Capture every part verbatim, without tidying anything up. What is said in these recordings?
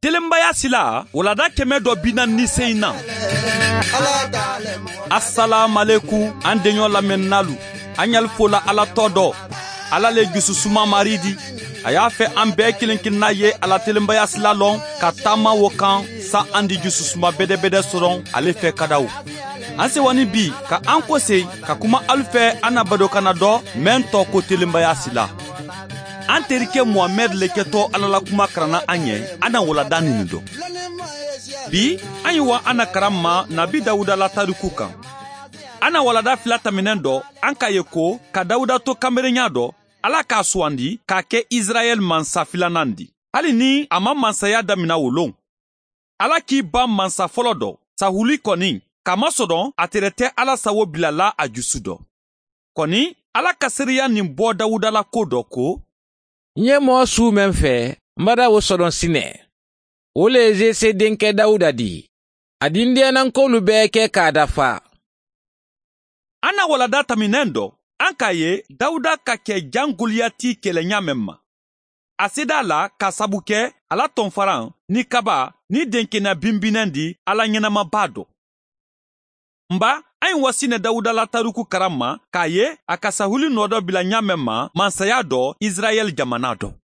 Telenbaya sila wulada kɛmɛ dɔ bina ni sen na. Asalaamaleku an denyɔ lamɛnnalu. An y'al fola Ala tɔ dɔ. Ala le jususuma maridi. A y'a fɛ an bɛɛ kelen kelenna ye Ala telenbaya sila lɔn ka taama wo kan sa an di jususuma bɛdɛbɛdɛ sɔrɔ ale fɛ kadaw. An sewani bi ka an kose ka kuma alu fɛ an na badokana dɔ mɛn tɔ ko telenbaya sila. An terikɛ Muhamɛd le kɛtɔ Ala la kuma karanna an ɲɛ an na wulada nin dɔ. Bi an ye wa an na karan ma Nabi Dawuda la tariku kan. An na walada fila tɛmɛnen dɔ an k'a ye ko ka Dawuda to kanberenya dɔ Ala k'a sugandi k'a kɛ Israɛl mansa filanan di. Hali ni a ma mansaya damina o lon. Ala k'i ban mansa fɔlɔ dɔ Sahuli kɔni kamasɔrɔ a tɛrɛ tɛ Ala sago bilala a jusu dɔ. Kɔni Ala ka seereya nin bɔ Dawuda la ko dɔ ko n ye mɔɔ su mɛn fɛ n bada o sɔrɔ sinɛ. O le ye Zese denkɛ Dawuda di. A dindiyanankolu bɛɛ kɛ k'a dafa. An na walada tɛmɛnen dɔ an k'a ye Dawuda ka kɛ jan Goliyati kɛlɛɲa mɛn ma. A seda la ka sabu kɛ ala tɔnfaran ni kaba ni denkɛna binbinɛn di Ala ɲɛnamaba dɔ. Nba an ye wasinɛ Dawuda la tariku karan ma k'a ye a ka Sahuli nɔ dɔ bila ɲa mɛn ma mansaya dɔ Israɛl jamana dɔ.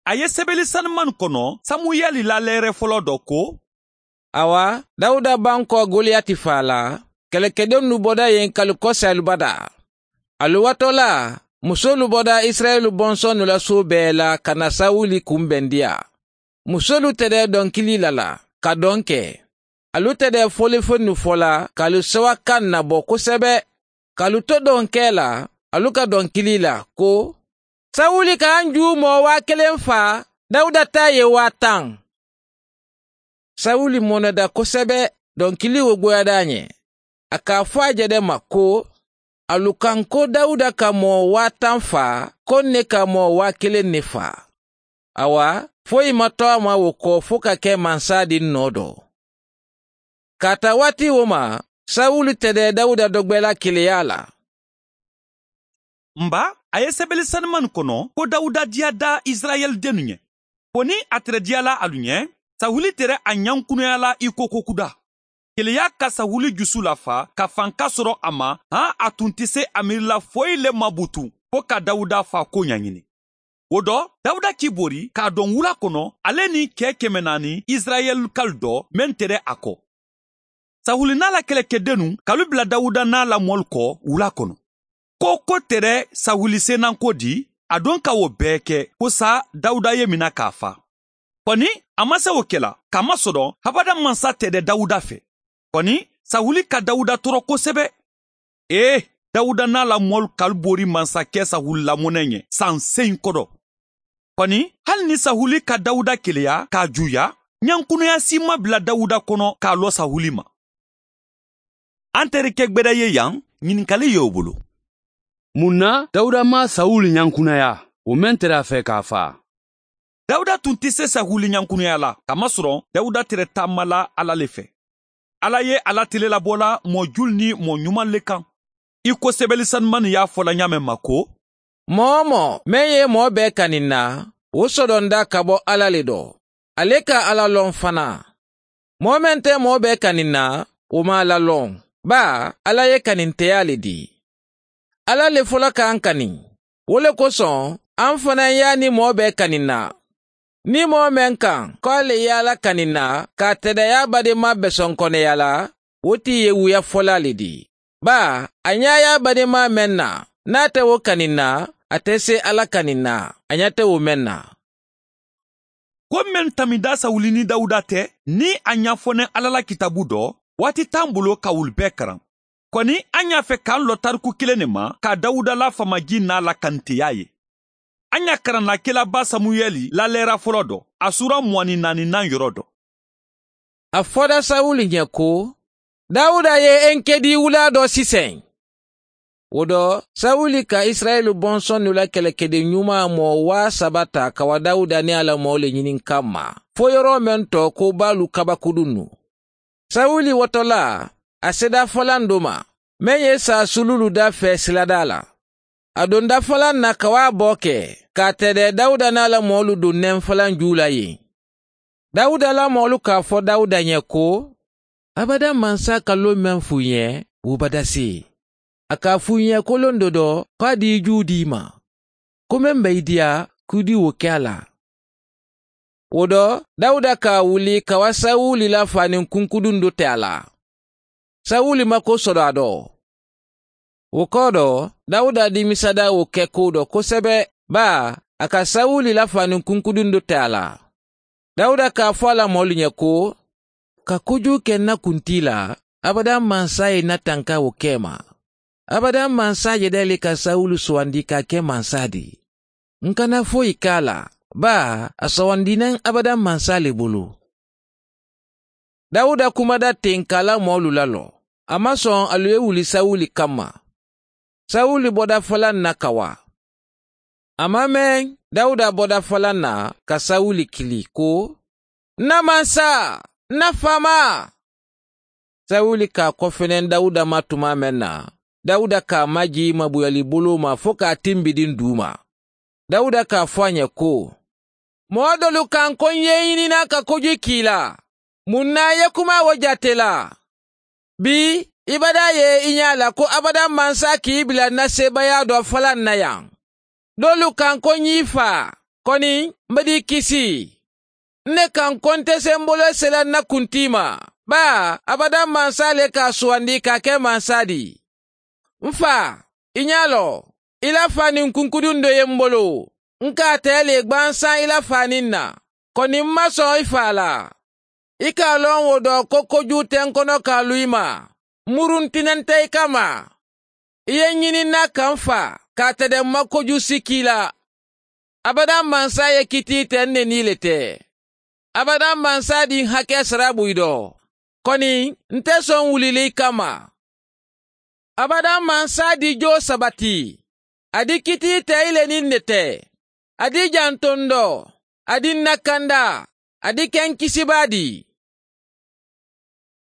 A ye sɛbɛnni sanuman kɔnɔ Samuyɛli la lɛrɛ fɔlɔ dɔ ko awa Dawuda ban kɔ Goliyati fa la kɛlɛkɛdenw bɔda yen kalu kɔsɛ alubada. Aluwatɔ la musolu bɔda Israɛl bɔnsɔnnu la so bɛɛ la ka na Sawuli kunbɛn diya. Musolu tɛ dɛ dɔnkili la la ka dɔn kɛ. Alu tɛ dɛ fɔlifɛnnu fɔ la k'alu sewa kan nabɔ kosɛbɛ. K'alu to dɔnkɛ la alu ka dɔnkili la ko Sawuli k'an ju mɔɔ waa kelen fa Dawuda ta ye waa tan. Sawuli mɔnɛda kosɛbɛ dɔnkili wo goyada ɲɛ. A k'a fɔ a jɛdɛ ma ko alu kan ko Dawuda ka mɔɔ waa tan fa ko ne ka mɔɔ waa kelen ne fa. Awa foyi ma tɔ a ma o kɔ fo ka kɛ mansa di nɔ dɔ. K'a ta waati o ma Sawuli tɛ dɛ Dawuda dɔgbɛla keleya la. Nba a ye sɛbɛnni sanuman kɔnɔ ko Dawuda diya da Israɛl dennu ɲɛ. Ko ni a tɛrɛ diyala alu ɲɛ Sawuli tɛrɛ a ɲankunyala i ko kokuda. Keleya ka Sawuli jusu lafa ka fanka sɔrɔ a ma han a tun tɛ se a miirila foyi le ma butu fo ka Dawuda fa ko ɲaɲini. O dɔ Dawuda k'i bori k'a dɔn wula kɔnɔ ale ni kɛ kɛmɛ naani Israɛl kal dɔ mɛn tɛrɛ a kɔ. Sawuli n'a la kɛlɛkɛdennu k'alu bila Dawuda n'a la mɔlu kɔ wula kɔnɔ. Ko ko tɛrɛ Sawuli senanko di a don ka o bɛɛ kɛ ko sa Dawuda ye mina k'a fa. Kɔni a ma se o kɛla kamasɔrɔ habada mansa tɛ dɛ Dawuda fɛ. Kɔni Sawuli ka Dawuda tɔɔrɔ kosɛbɛ. Ee Dawuda n'a la mɔlu k'alu bori mansakɛ Sawuli lamɔnɛ ɲɛ san seyin kɔrɔ. Kɔni hali ni Sawuli ka Dawuda keleya k'a juya ɲankunya si ma bila Dawuda kɔnɔ k'a lɔ Sawuli ma. An terikɛ gbɛdɛ ye yan ɲininkali y'o bolo. Mun na Dawuda ma Sawuli ɲankunya o mɛn tɛrɛ a fɛ k'a fa? Dawuda tun tɛ se Sawuli ɲankunya la kamasɔrɔ Dawuda tɛrɛ taama la Ala le fɛ. Ala ye Ala telelabɔla mɔ jul ni mɔ ɲuman le kan. I ko sɛbɛnni sanuman y'a fɔla ɲa mɛn ma ko mɔɔ mɔ mɛn ye mɔɔ bɛɛ kanin na o sɔdɔnda ka bɔ Ala le dɔ. Ale ka Ala lɔn fana. Mɔɔ mɛn tɛ mɔɔ bɛɛ kanin na o ma Ala lɔn. Ba Ala ye kaninteya le di. Ala le fɔlɔ k'an kani. O le kosɔn an fana y'a ni mɔɔ bɛɛ kanin na. Ni mɔɔ mɛn kan k'ale ye Ala kanin na k'a tɛdɛya badenma bɛsɔn kɔnɛya la o t'i ye wuya fɔla le di. Ba a ɲa y'a badenma mɛn na n'a tɛ o kanin na a tɛ se Ala kanin na a ɲa tɛ o mɛn na. Ko mɛn tamida Sawuli ni Dawuda tɛ ni a ɲɛfɔnɛ Ala la kitabu dɔ waati t'an bolo ka wuli bɛɛ karan. Kɔni an y'a fɛ k'an lɔ tariku kelen de ma ka Dawuda la famaji n'a la kanteya ye. An y'a karanna kelaba Samuyɛli lalɛra fɔlɔ dɔ a sura mugan ni naaninan yɔrɔ dɔ. A fɔra Sawuli ɲɛ ko Dawuda ye Enkedi wula dɔ sisan. O dɔ Sawuli ka Israɛl bɔnsɔnnu la kɛlɛkɛden ɲuman mɔɔ waa saba ta ka wa Dawuda ni a la mɔɔ le ɲini kama fo yɔrɔ mɛn tɔ ko b'alu kabakudunu. Sawuli wɔtɔla a seda fɔlan do ma mɛn ye sa sululu da fɛ silada la. A donda fɔlan na ka wa bɔ kɛ k'a tɛdɛ Dawuda n'a la mɔɔlu don nɛn fɔlan ju la yen. Dawuda la mɔɔlu k'a fɔ Dawuda ɲɛ ko, abada mansa ka lon mɛn f'u ɲɛ, o bada se. A k'a f'u ɲɛ ko lon dɔ dɔ k'a di ju di ma. Ko mɛn bɛ i diya k'u di o kɛ a la. O dɔ, Dawuda k'a wuli ka wa Sawuli la fani kunkudun dɔ tɛ a la. Sawuli ma ko sɔrɔ a dɔ. O kɔ dɔ, Dawuda dimisada o kɛ ko dɔ kosɛbɛ, ba a ka Sawuli la fani kunkudun dɔ tɛ a la. Dawuda k'a fɔ a la mɔɔlu ɲɛ ko, ka kojugu kɛ na kunti la, abada mansa ye na tanka o kɛ ma. Abada mansa yɛrɛ le ka Sawulu sugandi k'a kɛ mansa di. N kana foyi k'a la, ba a sugandinen abada mansa le bolo. Dawuda kumada ten k'a la mɔɔlu lalɔ. A ma sɔn alu ye wuli Sawuli kama. Sawuli bɔda falan na ka wa. A ma mɛn, Dawuda bɔda falan na ka Sawuli kili ko, na mansa, na faama. Sawuli k'a kɔfɛnɛ Dawuda ma tuma mɛn na, Dawuda k'a maji mabuyali bolo ma fo k'a tinbidin du ma. Dawuda k'a fɔ a ɲɛ ko, mɔgɔ dɔlu kan ko n ye ɲinina ka kojugu k'i la. Mun na ye kuma o jate la? Bi, i bada ye i ɲɛ la ko abada mansa k'i bila na sebaaya dɔ falan na yan. Dɔlu kan ko n y'i fa, kɔni n bɛ d'i kisi. Ne kan ko n tɛ se n bolo sela na kunti ma. Ba, abada mansa le k'a sugandi k'a kɛ mansa di. N fa, i ɲɛ lɔ, i la fani kunkudun dɔ ye n bolo. N k'a tɛ le gbansan i la fani na. Kɔni n ma sɔn i fa la. I k'a lɔn o dɔ ko kojugu tɛ n kɔnɔ k'a lu i ma. Murun tinen tɛ i kama. I ye ɲini na ka n fa, k'a tɛ dɛ n ma kojugu si k'i la. Abada mansa ye kiti tɛ n neni le tɛ. Abada mansa di hakɛ sara b'u dɔ. Kɔni, n tɛ sɔn wulili kama. Abada mansa di jo sabati. A di kiti tɛ i le ni ne tɛ. A di janton dɔ. A di nakanda. A di kɛ n kisiba di.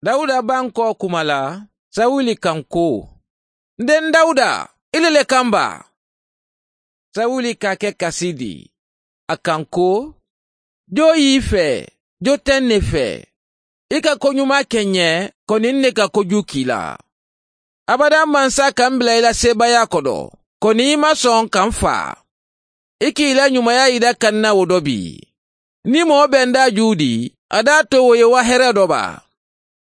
Dawuda ban kɔ kuma la, Sawuli kan ko, n den Dawuda, ile le kan ba. Sawuli k'a kɛ kasi di. A kan ko, jo y'i fɛ, jo tɛ ne fɛ. I ka koɲuman kɛ n ɲɛ, kɔni ne ka kojugu k'i la. Abada mansa ka n bila i la sebaaya kɔdɔ, kɔni i ma sɔn ka n fa. I k'i la ɲumanya yira ka n na o dɔ bi. Ni mɔgɔ bɛ n da ju di, a d'a to o ye wa hɛrɛ dɔ ba.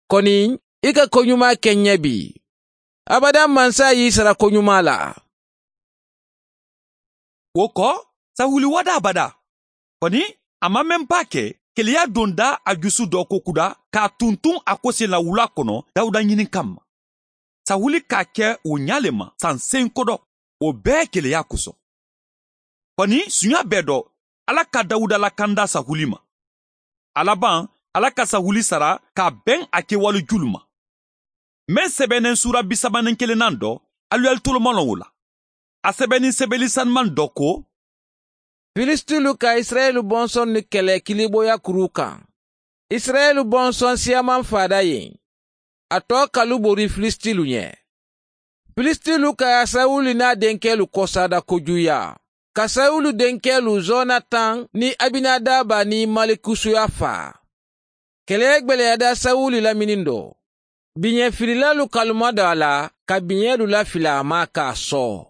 Kɔni, i ka koɲuman kɛ n ɲɛ bi. Abada mansa y'i sara koɲuman la. O kɔ, Sawuli wada abada. Kɔni, a ma mɛn ba kɛ, keleya donda a jusu dɔ ko kuda k'a tuntun a kosen la wula kɔnɔ Dawuda ɲini kama. Sawuli k'a kɛ o ɲa le ma san sen kɔdɔ, o bɛɛ keleya kosɔn. Kɔni, sunya bɛɛ dɔ, Ala ka Dawuda lakanda Sawuli ma. A laban, Ala ka Sawuli sara k'a bɛn a kɛwale julu ma. Mɛn sɛbɛnnen sura bisabanin kelennan dɔ, alu y'alu tolomalɔn o la. A sɛbɛnni sɛbɛnni sanuman dɔ ko, Filistilu ka Israɛlu bɔnsɔn ni kɛlɛ kiliboya kuru kan. Israɛlu bɔnsɔn siyaman fada yen. A tɔ kalu bori Filistilu ɲɛ. Filistilu ka Sawuli n'a denkɛlu kɔsada kojuya. Ka Sawulu denkɛlu Zonatan ni Abinadaba ni Malikusuya fa. Kɛlɛ gwɛlɛyada Sawuli lamini dɔ. Biɲɛfililalu kaluma dɔ a la ka biɲɛlu lafili a ma k'a sɔ.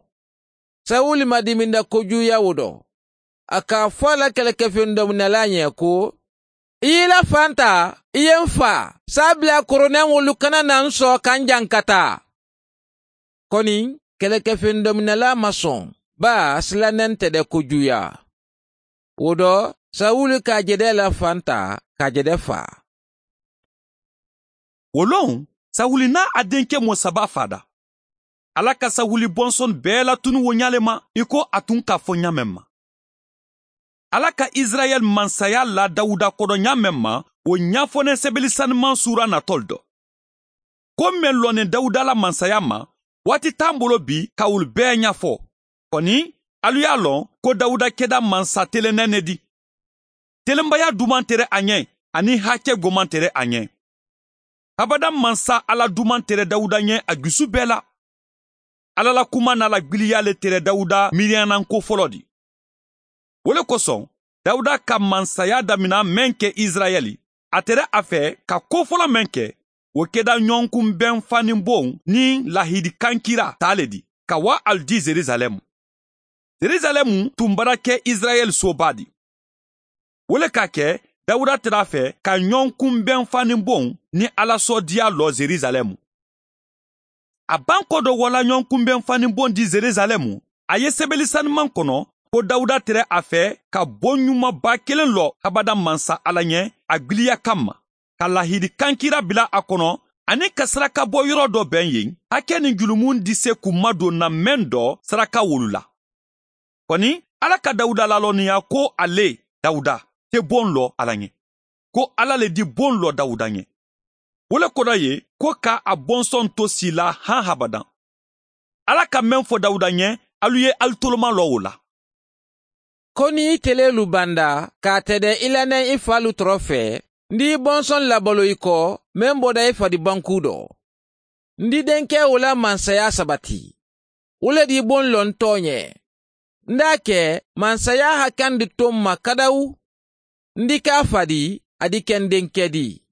Sawuli ma diminda kojuya o dɔ. A k'a fɔ a la kɛlɛkɛfɛn dɔminɛla ɲɛ ko, i y'i la fan ta, i ye n fa, sabila koronɛ wolu kana na n sɔn ka n jankata. Kɔni, kɛlɛkɛfɛn dɔminɛla ma sɔn, ba silannen tɛ dɛ kojuya. O dɔ, Sawuli k'a jɛdɛ la fan ta, k'a jɛdɛ fa. O lon, Sawuli n'a a denkɛ mɔ saba fada. Ala ka Sawuli bɔnsɔn bɛɛ latunu o ɲale ma, i ko a tun k'a fɔ ɲa mɛn ma. Ala ka Israɛl mansaya la Dawuda kɔdɔ ɲa mɛn ma, o ɲafɔnen sɛbɛli sanuman sura natɔl dɔ. Ko mɛn lɔnnen Dawuda la mansaya ma, waati t'an bolo bi ka olu bɛɛ ɲɛfɔ. Kɔni, alu y'a lɔn ko Dawuda kɛda mansa telennɛ ne di. Telenbaya duman tɛrɛ a ɲɛ, ani hakɛ goman tɛrɛ a ɲɛ. Abada mansa Ala duman tɛrɛ Dawuda ɲɛ a dusu bɛɛ la. Ala la kuma n'a la gbiliya le tɛrɛ Dawuda miiriyanan ko fɔlɔ di. O le kosɔn, Dawuda ka mansaya damina mɛn kɛ Israɛli, a tɛrɛ a fɛ ka ko fɔlɔ mɛn kɛ, o kɛda ɲɔgɔnkunbɛn fanibon ni lahidikankira ta le di, ka wa alu di Zerizalɛmu. Zerizalɛmu tun bara kɛ Israɛl soba di. O le ka kɛ Dawuda tɛrɛ a fɛ ka ɲɔgɔnkunbɛn fanibon ni alasɔdiya lɔ Zerizalɛmu. A ban kɔ dɔ wala ɲɔgɔnkunbɛn fanibon di Zerizalɛmu, a ye sɛbɛnni sanuman kɔnɔ ko Dawuda tɛrɛ a fɛ ka bon ɲumanba kelen lɔ habada mansa Ala ɲɛ a giliya kama, ka lahidi kankira bila a kɔnɔ ani ka saraka bɔ yɔrɔ dɔ bɛn yen, hakɛ ni julumun di se k'u madon na mɛn dɔ saraka wolu la. Kɔni Ala ka Dawuda lalɔnniya ko ale Dawuda tɛ bon lɔ Ala ɲɛ, ko Ala le di bon lɔ Dawuda ɲɛ. O le kɔrɔ ye ko ka a bɔnsɔn to si la han habadan. Ala ka mɛn fɔ Dawuda ɲɛ, alu ye alu toloma lɔ o la. Ko ni i telelu banda k'a tɛdɛ i lanɛ i falu tɔrɔ fɛ, n di bɔnsɔn labalo i kɔ mɛn bɔda i fadi banku dɔ. N di denkɛ o la mansaya sabati. O le di bon lɔ n tɔ ɲɛ. N d'a kɛ mansaya hakan di to n ma kadawu. N di k'a fadi, a di kɛ n denkɛ di.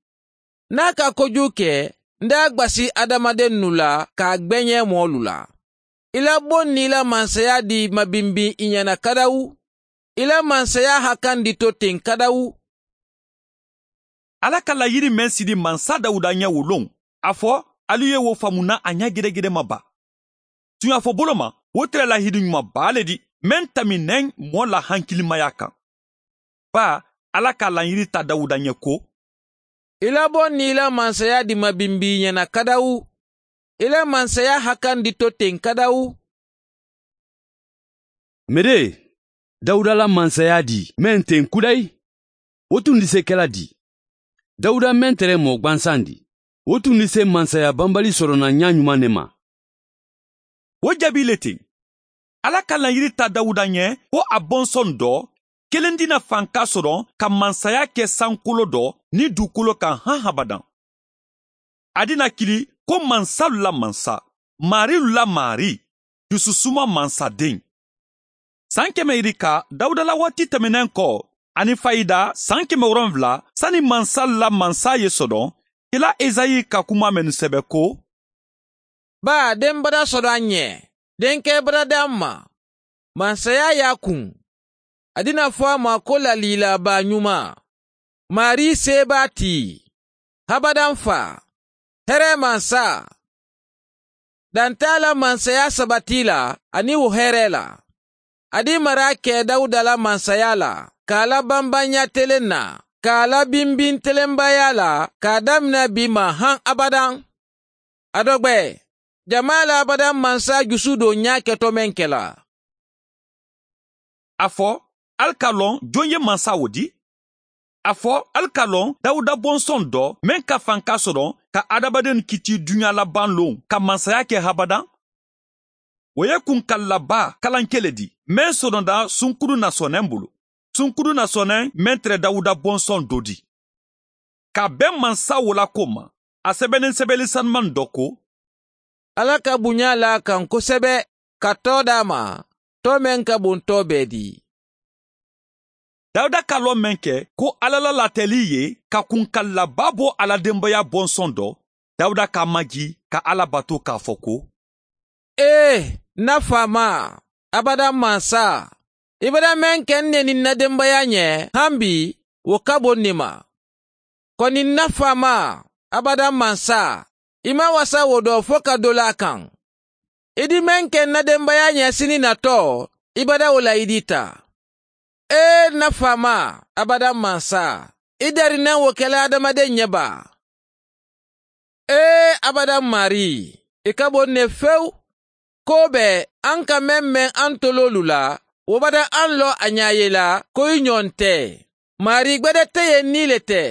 N'a ka kojugu kɛ, n d'a gbasi adamaden nu la k'a gbɛɲɛ mɔɔlu la. I la bon n'i la mansaya di mabinbin i ɲɛna kadawu. I la mansaya hakan di to ten kadawu. Ala ka layiri mɛn sidi mansa Dawuda ɲɛ wolon, a fɔ alu ye wo faamuna a ɲɛ gɛrɛgɛrɛ ma ba. Tuɲa fɔ bolo ma, o tɛrɛ lahidi ɲuman ba le di, mɛn taminɛn mɔɔ la hankilimaya kan. Ba, Ala ka layiri ta Dawuda ɲɛ ko, I la bon n'i la mansaya di mabinbi ɲɛna kadawu. I la mansaya hakan di to ten kadawu. Mere, Dawuda la mansaya di mɛn ten kudayi, o tun di se kɛla di. Dawuda mɛn tɛrɛ mɔɔ gwansan di, o tun di se mansaya banbali sɔrɔ na ɲa ɲuman ne ma. O jaabi le ten. Ala ka layiri ta Dawuda ɲɛ ko a bɔnsɔn dɔ kelen dina fanka sɔrɔ ka mansaya kɛ sankolo dɔ ni dugukolo kan han habadan. A dina kili ko mansalu la mansa, marilu la mari, dususuma mansaden. San kɛmɛ yirika Dawuda la waati tɛmɛnen kɔ ani fayida san kɛmɛ wolonwula sani mansa la mansa ye sɔrɔ, kila Ezayi ka kuma mɛnu sɛbɛ ko, Ba den bada sɔrɔ an ɲɛ, denkɛ bada d'an ma, mansaya y'a kun. A dina fɔ a ma ko lalilaba ɲuman, mari seba ti, habadan fa, hɛrɛ mansa. Dan t'a la mansaya sabati la ani o hɛrɛ la. A di mara kɛ Dawuda la mansaya la, k'a la banbanya telen na, k'a la binbin telenbaya la, k'a daminɛ bi ma han abadan. A dɔgbɛ, jama la abadan mansa jusu don ɲa kɛtɔ mɛn kɛla. A fɔ, ali ka lɔn jɔn ye mansa o di? A fɔ, ali ka lɔn Dawuda bɔnsɔn dɔ mɛn ka fanka sɔrɔ ka adamaden kiti duɲa laban lon ka mansaya kɛ habadan? O ye kunkalaba kalankɛ le di, mɛn sɔrɔda sunkuru nasɔnɛn bolo. Sunkuru nasɔnɛn mɛn tɛrɛ Dawuda bɔnsɔn dɔ di. Ka bɛn mansa wo la ko ma, a sɛbɛnnen sɛbɛnni sanuman dɔ ko, Ala ka bonya la kan kosɛbɛ ka tɔ d'a ma, tɔ mɛn ka bon tɔ bɛɛ di. Dawuda ka lɔ mɛn kɛ ko Ala la latɛli ye ka kunkalaba bɔ a la denbaya bɔnsɔn dɔ, Dawuda k'a maji ka Ala bato k'a fɔ ko, Ee, na faama, abada mansa, i bada mɛn kɛ ne ni na denbaya ɲɛ, han bi, o ka bon ne ma. Kɔni na faama, abada mansa, i ma wasa o dɔ fɔ ka dɔ la kan. I di mɛn kɛ na denbaya ɲɛ sini natɔ, i bada o layidi ta. Ee, na faama, abada mansa, i darinɛ o kɛla adamaden ɲɛba. Ee, abada mari, i ka bon ne fewu. Ko bɛɛ an ka mɛn mɛn an tololu la, o bada an lɔ a ɲa ye la ko i ɲɔgɔn tɛ. Mari gbɛdɛ tɛ yen ni le tɛ.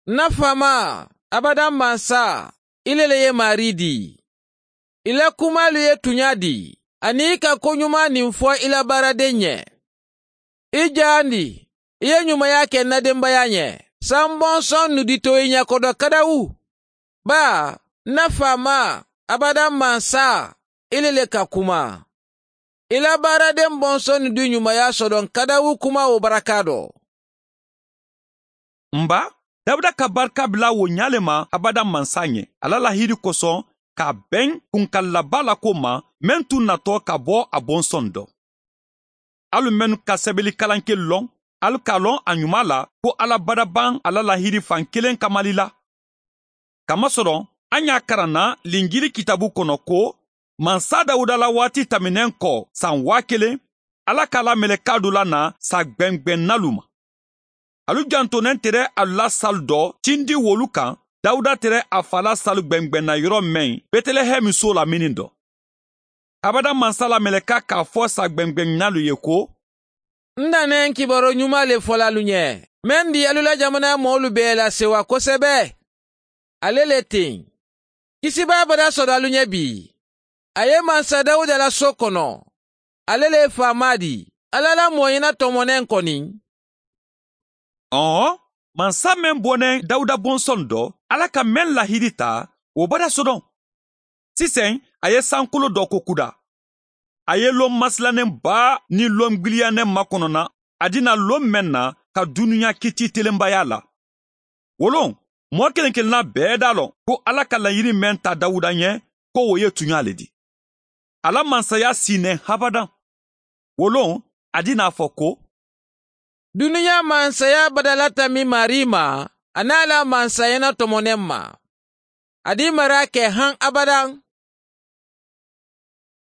Na faama, abada mansa, i le le ye mari di. I la kumalu ye tuɲa di, ani i ka koɲuman nin fɔ i la baaraden ɲɛ. I jaandi, i ye ɲumanya kɛ na denbaya ɲɛ. Sanbɔnsɔn nu di to i ɲɛkɔdɔ kadawu. Ba, na faama, abada mansa, i le le ka kuma. I la baaraden bɔnsɔn du ɲumanya sɔrɔ kadawu kuma o baraka dɔ. Nba, Dawuda ka barika bila wo ɲa le ma abada mansa ɲɛ ala lahiri kosɔn k'a bɛn kunkalaba la ko ma mɛn tun natɔ ka bɔ a bɔnsɔn dɔ. Alu mɛnu ka sɛbɛli kalanke lɔn, alu k'a lɔn a ɲuman la ko ala badaban ala lahiri fan kelen kamali la. Kamasɔrɔ an y'a karanna Linjili kitabu kɔnɔ ko mansa Dawuda la waati tɛmɛnen kɔ san waa kelen, ala k'a la mɛlɛka dɔ la na sa gbɛngbɛnnalu ma. Alu jantonen tɛrɛ alu la salu dɔ tindi wolu kan, Dawuda tɛrɛ a fa la salu gbɛngbɛnna yɔrɔ mɛn Bɛtɛlɛhɛmu so lamini dɔ. Abada mansa la mɛlɛka k'a fɔ sa gbɛngbɛnnalu ye ko: N danen kibaru ɲuman le fɔla alu ɲɛ, mɛn di alu la jamana mɔɔlu bɛɛ la sewa kosɛbɛ. Ale le ten. Kisibaa bada sɔrɔ alu ɲɛ bi. A ye mansa Dawuda la so kɔnɔ. Ale le ye faama di. Ala la mɔɲina tɔmɔnɛn kɔni. Ɔn, mansa mɛn bɔnɛ Dawuda bɔnsɔn dɔ, ala ka mɛn lahiri ta, o bada sɔdɔn. Sisan, a ye sankolo dɔ ko kuda. A ye lon masilannen ba ni lon gbiliyannen makɔnɔna, a dina lon mɛn na ka dunuya kiti telenbaya la. Wolon, mɔgɔ kelen kelenna bɛɛ d'a lɔn ko ala ka laɲini mɛn ta Dawuda ɲɛ, ko o ye tuɲa le di. Ala mansaya sinɛ habadan. Wolon, a dina fɔ ko: Dunuya mansaya badala tami mari ma, a n'a la mansayana tɔmɔnɛn ma. A di mara kɛ han abadan.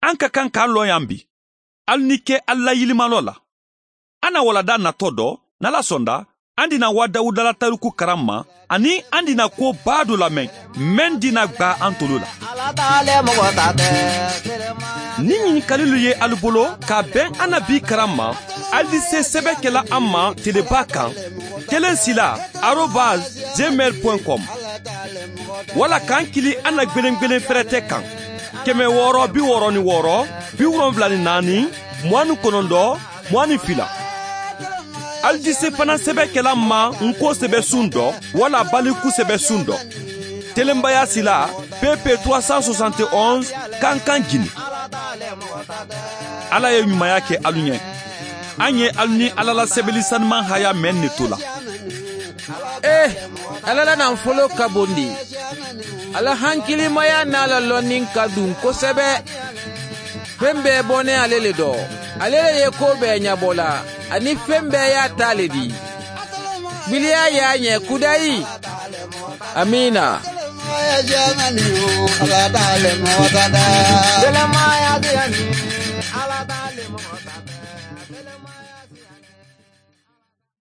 An ka kan k'a lɔn yan bi. Hali ni kɛ ala yilimalɔ la. An na walada natɔ dɔ, n'ala sɔnda, an dina wa Dawuda la tariku karan ma, ani an dina ko baa dɔ lamɛn, mɛn dina gba an tolo la. Ni ɲininkalilu ye alu bolo k'a bɛn an na bi karan ma, alu di se sɛbɛn kɛla an ma teleba kan, kelen sila arobase gmail point com, wala k'an kili an na gwelen-gwelen fɛrɛtɛ kan, kɛmɛ wɔɔrɔ bi wɔɔrɔ ni wɔɔrɔ, bi wolonfila ni naani, mugan ni kɔnɔntɔn, mugan ni fila. Alu di se fana sɛbɛn kɛla ma nko sɛbɛ sun dɔ, wala baliku sɛbɛ sun dɔ. Telenbaya sila P P trois cent soixante et onze Kankan Guinée. Ala ye ɲumanya kɛ alu ɲɛ. An ye alu ni ala la sɛbɛli sanuman haya mɛn ne to la. Eh, ala la nafolo ka bon di. Ala hankilimaya n'a la lɔnni ka dun kosɛbɛ. Fɛn bɛɛ bɔnɛ ale le dɔ. Ale le ye ko bɛɛ ɲɛbɔ la, ani fɛn bɛɛ y'a ta le di. Gbiliya y'a ɲɛ kudayi. Amina. Ala